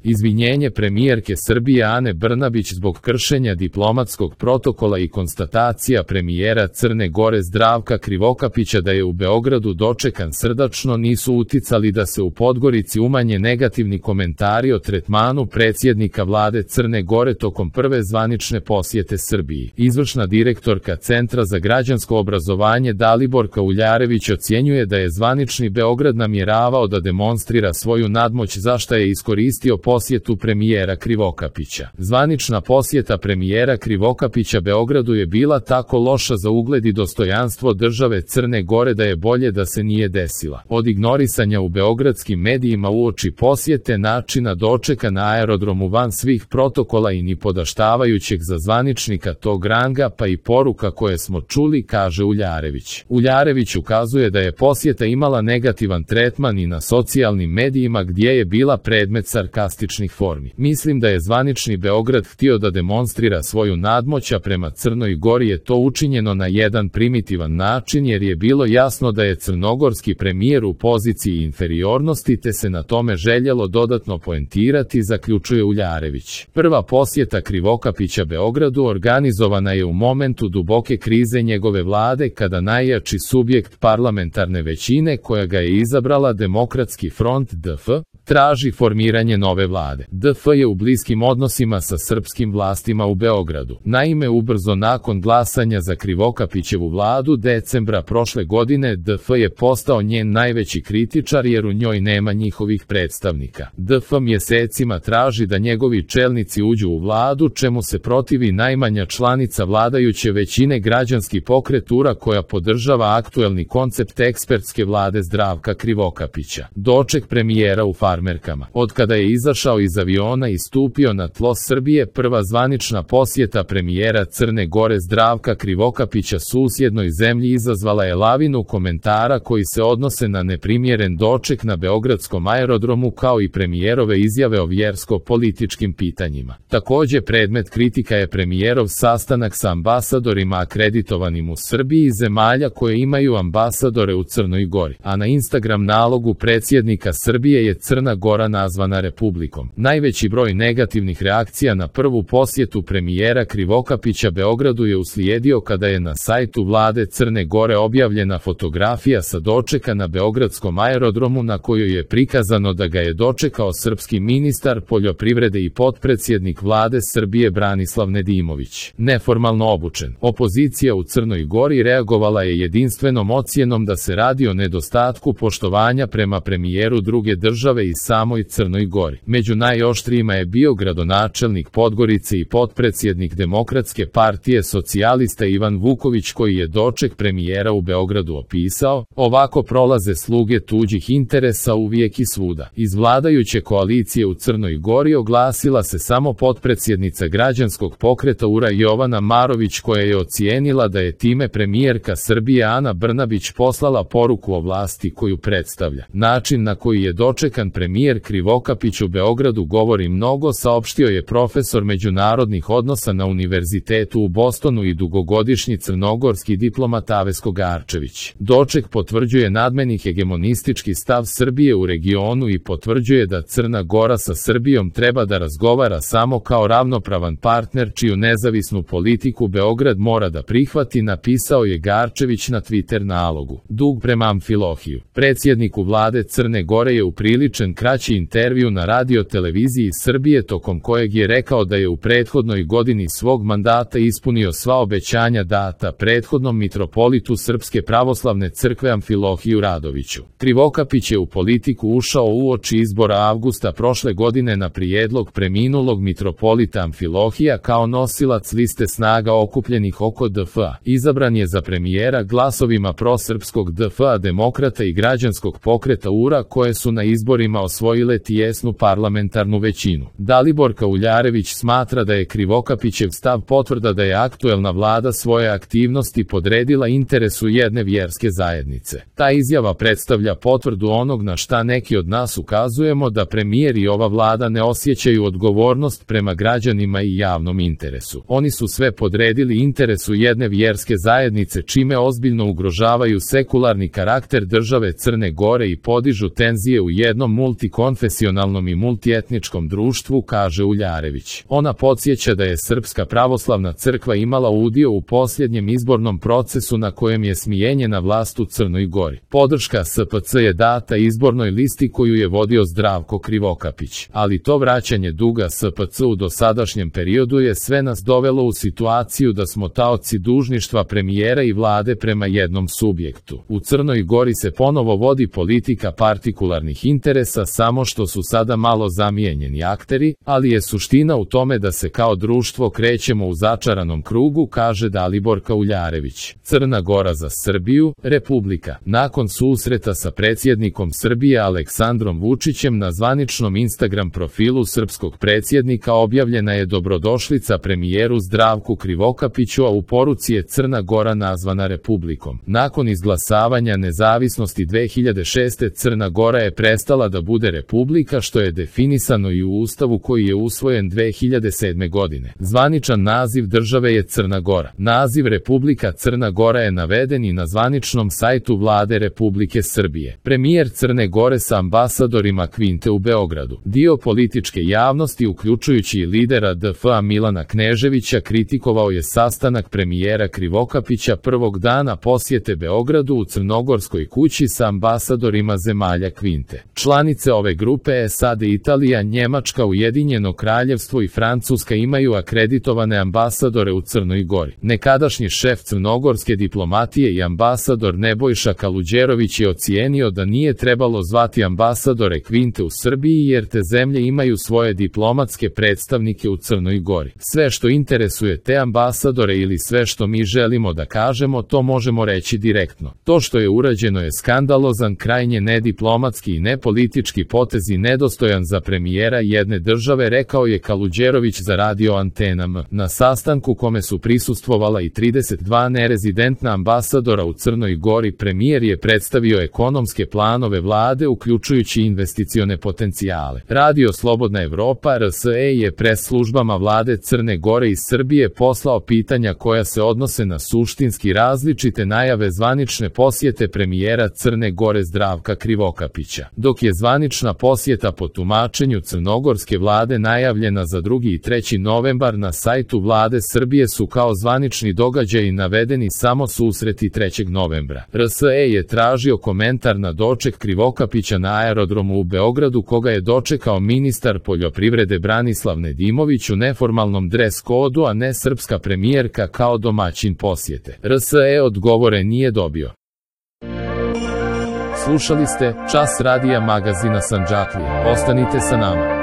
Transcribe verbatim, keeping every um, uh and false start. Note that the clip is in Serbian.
Izvinjenje premijerke Srbije Ane Brnabić zbog kršenja diplomatskog protokola i konstatacija premijera Crne Gore Zdravka Krivokapića da je u Beogradu dočekan srdačno nisu uticali da se u Podgorici umanje negativni komentari o tretmanu predsjednika vlade Crne Gore tokom prve zvanične posjete Srbiji. Izvršna direktorka Centra za građansko obrazovanje Daliborka Uljarević ocjenjuje da je zvanični Beograd namjeravao da demonstrira svoju nadmoć za šta je iskoristio posjetu premijera Krivokapića. Zvanična posjeta premijera Krivokapića Beogradu je bila tako loša za ugled i dostojanstvo države Crne Gore da je bolje da se nije desila. Od ignorisanja u beogradskim medijima uoči posjete, načina dočeka na aerodromu van svih protokola i ni podaštavajućeg za zvaničnika tog ranga pa i poruka koje smo čuli, kaže Uljarević. Uljarević ukazuje da je posjeta imala negativan tretman i na socijalnim medijima gdje je bila predmet sarkastičnih formi. Mislim da je zvanični Beograd htio da demonstrira svoju nadmoć, a prema Crnoj Gori je to učinjeno na jedan primitivan način jer je bilo jasno da je crnogorski premijer u poziciji inferiornosti te se na tome željelo dodatno poentirati, zaključuje Uljarević. Prva posjeta Krivokapića Beogradu organizovana je u momentu duboke krize njegove vlade kada najjači subjekt parlamentarne većine koja ga je izabrala Demokratski front D F traži formiranje nove vlade. D F je u bliskim odnosima sa srpskim vlastima u Beogradu. Naime, ubrzo nakon glasanja za Krivokapićevu vladu decembra prošle godine D F je postao njen najveći kritičar jer u njoj nema njihovih predstavnika. D F mjesecima traži da njegovi čelnici uđu u vladu, čemu se protivi najmanja članica vladajuće većine, Građanski pokret U R A, koja podržava aktuelni koncept ekspertske vlade Zdravka Krivokapića. Doček premijera u farmerkama. Od kada je izašao iz aviona i stupio na tlo Srbije, prva zvanična posjeta premijera Crne Gore Zdravka Krivokapića susjednoj zemlji izazvala je lavinu komentara koji se odnose na neprimjeren doček na beogradskom aerodromu kao i premijerove izjave o vjersko-političkim pitanjima. Također predmet kritika je premijerov sastanak sa ambasadorima akreditovanim u Srbiji i zemalja koje imaju ambasadore u Crnoj Gori, a na Instagram nalogu predsjednika Srbije je Crna Gora nazvana republikom. Najveći broj negativnih reakcija na prvu posjetu premijera Krivokapića Beogradu je uslijedio kada je na sajtu vlade Crne Gore objavljena fotografija sa dočeka na beogradskom aerodromu na kojoj je prikazano da ga je dočekao srpski ministar poljoprivrede i potpredsjednik vlade Srbije Branislav Nedimović. Neformalno obučen. Opozicija u Crnoj Gori reagovala je jedinstvenom ocjenom da se radi o nedostatku poštovanja prema premijeru druge države i samoj Crnoj Gori. Među najoštrijima je bio gradonačelnik Podgorice i potpredsjednik Demokratske partije socijalista Ivan Vuković, koji je doček premijera u Beogradu opisao: ovako prolaze sluge tuđih interesa uvijek i svuda. Iz vladajuće koalicije u Crnoj Gori oglasila se samo potpredsjednica Građanskog pokreta U R A Jovana Marović, koja je ocijenila da je time premijerka Srbije Ana Brnabić poslala poruku o vlasti koju predstavlja. Način na koji je dočekan premijer Krivokapić u Beogradu govori mnogo, saopštio je profesor međunarodnih odnosa na Univerzitetu u Bostonu i dugogodišnji crnogorski diplomat Avesko Garčević. Doček potvrđuje nadmeni hegemonistički stav Srbije u regionu i potvrđuje da Crna Gora sa Srbijom treba da razgovara samo kao ravnopravan partner čiju nezavisnu politiku Beograd mora da prihvati, napisao je Garčević na Twitter nalogu. Dug prema Amfilohiju. Predsjedniku vlade Crne Gore je upriličen kraći intervju na radio televiziji Srbije tokom kojeg je rekao da je u prethodnoj godini svog mandata ispunio sva obećanja data prethodnom mitropolitu Srpske pravoslavne crkve Amfilohiju Radoviću. Krivokapić je u politiku ušao uoči izbora avgusta prošle godine na prijedlog preminulog mitropolita Amfilohija kao nosilac liste snaga okupljenih oko D F A. Izabran je za premijera glasovima prosrpskog D F A, Demokrata i Građanskog pokreta U R A, koje su na izborima osvojile tijesnu parlamentarnu većinu. Daliborka Uljarević smatra da je Krivokapićev stav potvrda da je aktuelna vlada svoje aktivnosti podredila interesu jedne vjerske zajednice. Ta izjava predstavlja potvrdu onog na šta neki od nas ukazujemo, da premijer i ova vlada ne osjećaju odgovornost prema građanima i javnom interesu. Oni su sve podredili interesu jedne vjerske zajednice, čime ozbiljno ugrožavaju sekularni karakter države Crne Gore i podižu tenzije u jednom multikonfesionalnom i multietničkom društvu, kaže Uljarević. Ona podsjeća da je Srpska pravoslavna crkva imala udio u posljednjem izbornom procesu na kojem je smijenjena vlast u Crnoj Gori. Podrška S P C je data izbornoj listi koju je vodio Zdravko Krivokapić, ali to vraćanje duga S P C u dosadašnjem periodu je sve nas dovelo u situaciju da smo taoci dužništva premijera i vlade prema jednom subjektu. U Crnoj Gori se ponovo vodi politika partikularnih interesa, samo što su sada malo zamijenjeni akteri, ali je suština u tome da se kao društvo krećemo u začaranom krugu, kaže Dalibor Uljarević. Crna Gora za Srbiju, Republika. Nakon susreta sa predsjednikom Srbije Aleksandrom Vučićem na zvaničnom Instagram profilu srpskog predsjednika objavljena je dobrodošlica premijeru Zdravku Krivokapiću, a u poruci je Crna Gora nazvana Republikom. Nakon izglasavanja nezavisnosti dve hiljade šeste. Crna Gora je prestala da bude republika, što je definisano i u Ustavu koji je usvojen dve hiljade sedme. godine. Zvaničan naziv države je Crna Gora. Naziv Republika Crna Gora je naveden i na zvaničnom sajtu vlade Republike Srbije. Premijer Crne Gore sa ambasadorima Kvinte u Beogradu. Dio političke javnosti, uključujući i lidera D F A Milana Kneževića, kritikovao je sastanak premijera Krivokapića prvog dana posjete Beogradu u Crnogorskoj kući sa ambasadorima zemalja Kvinte. Članice ove grupe S A D, Italija, Njemačka, Ujedinjeno Kraljevstvo i Francuska imaju akreditovane ambasadore u Crnoj Gori. Nekadašnji šef crnogorske diplomatije i ambasador Nebojša Kaluđerović je ocijenio da nije trebalo zvati ambasadore Kvinte u Srbiji jer te zemlje imaju svoje diplomatske predstavnike u Crnoj Gori. Sve što interesuje te ambasadore ili sve što mi želimo da kažemo, to možemo reći direktno. To što je urađeno je skandalozan, krajnje nediplomatski i nepolitički potez i nedostojan za premijera jedne države, rekao je Kaluđerović za radio Antena M. Na sastanku kome su prisustvovala i trideset dva nerezidentna ambasadora u Crnoj Gori, premijer je predstavio ekonomske planove vlade, uključujući investicione potencijale. Radio Slobodna Evropa R S E je pres službama vlade Crne Gore i Srbije poslao pitanja koja se odnose na suštinski različite najave zvanične posjete premijera Crne Gore Zdravka Krivokapića. Dok je zvanična posjeta po tumačenju crnogorske vlade najavljena za drugi i treći novembar, na sajtu vlade Srbije su kao zvanični događaji navedeni samo susreti trećeg novembra. R S E je tražio komentar na doček Krivokapića na aerodromu u Beogradu, koga je dočekao ministar poljoprivrede Branislav Nedimović u neformalnom dres kodu, a ne srpska premijerka kao domaćin posjete. R S E odgovore nije dobio. Slušali ste Čas radija magazina Sandžaklija. Ostanite sa nama.